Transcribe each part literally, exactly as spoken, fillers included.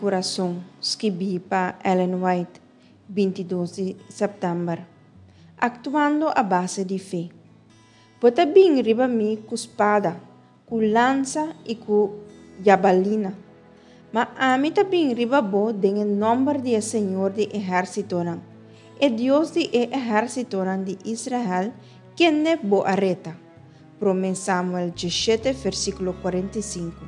Kurason, skibí pa Ellen White, binti dos di sèptèmber. Aktuando a base di fe. Bo ta bin riba mi ku spada, ku lansa i ku yabalina, ma ami ta bin riba bo den e nòmber di e Señor di ehérsitonan, e Dios di e ehérsitonan di Israel, kende bo a reta. Promé Samuel diesshete, versíkulo kuarenta i sinku.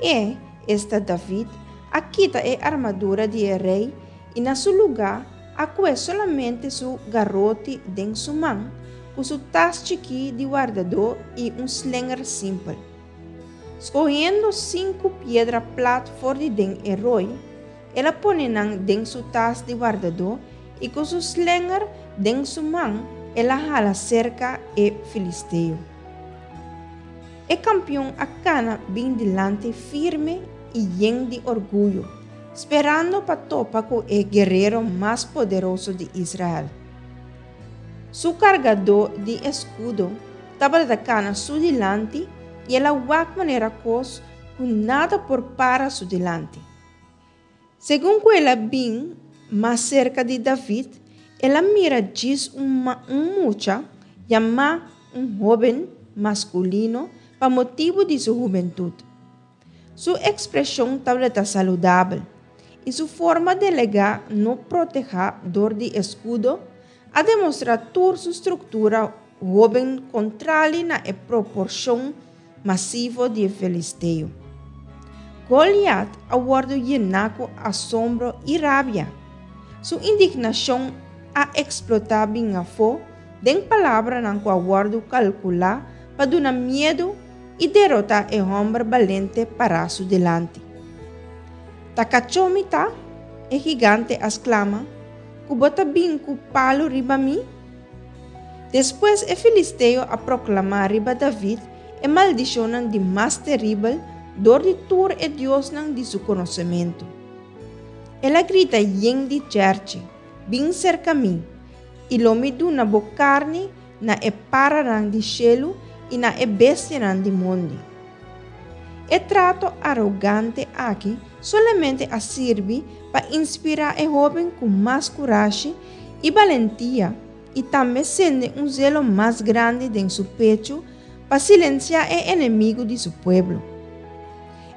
E, esta David, a kita e armadura di e rei i na su lugá a kue solamente su garoti den su man, ku su tas chikí di wardadó i un slenger simpel. Skohiendo sinku piedra plat for di den e roi, el a pone nan den su tas di wardadó i ku su slenger den su man el a hala serka e filisteo. E kampion a kana bin dilanti firme i yen di orguyo, sperando pa topa ku e guerero mas poderoso di Israel. Su kargadó di eskudo tabata kana su dilanti i el a wak manera kos ku nada por para su dilanti. Segun ku el a bin mas serka di David, el a mira djis un un mucha, yamá un hóben maskulino pa motibu di su hubentut. Su ekspreshon tabata saludabel i su forma delegá no protehá dor di eskudo a demostrá tur su struktura hóben kontrali na e proporshon masivo di e filisteo. Goliat a wòrdu yená ku asombro i rabia. Su indignashon a eksplotá bin afó den palabranan ku a wòrdu kalkulá pa duna miedu i derotá e hòmber balente pará su dilanti. Ta kachó mi ta? E gigante a sklama, ku bo ta bin ku palu riba mi? Despues e filisteo a proklamá riba David e maldishonnan di mas teribel dor di tur e diosnan di su konosementu. El a grita yen di chèrchi, Bin serka mi, i lo mi duna bo karni na e paranan di shelu i na e bestianan di mondi. E trato arogante aki solamente a sirbi pa inspirá e hóben ku mas kurashi i balentia i tambe sende un zelo mas grandi den su pechu pa silensiá e enemigu di su pueblo.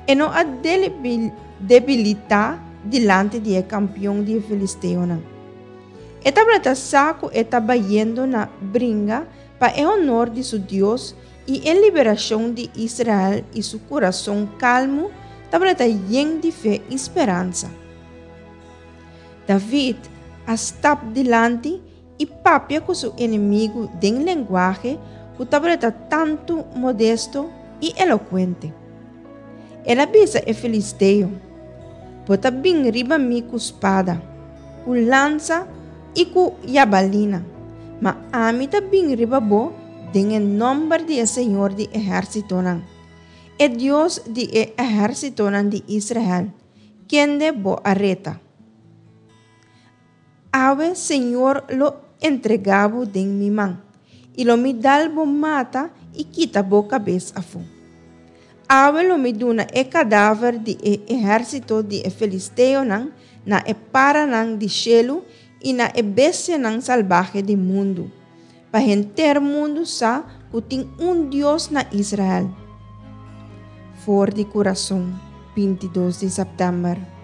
E no a debilitá dilanti di e kampion di e filisteonan. E tabata sa ku e ta bayendo na bringa pa e honor di su Dios i e liberashon di Israel i su kurason kalmu tabata yen di fe i speransa. David a stap dilanti i papia ku su enemigu den lenguahe ku tabata tantu modesto i elokuente. El a bisa e filisteo, Bo ta bin riba mi ku spada, ku lansa i ku yabalina, ma ami ta bin riba bo den e nòmber di e Señor di ehérsitonan, e Dios di e ehérsitonan di Israel, kende bo a reta. Awe Señor lo entregá bo den mi man, i lo mi dal bo mata i kita bo kabes afó. Awe lo mi duna e kadaver di e ehérsito di e filisteonan na e paranan di shelu i na e bestianan salbahe di mundu, pa henter mundu sa ku tin un Dios na Israel. For di Kurason, binti dos di sèptèmber.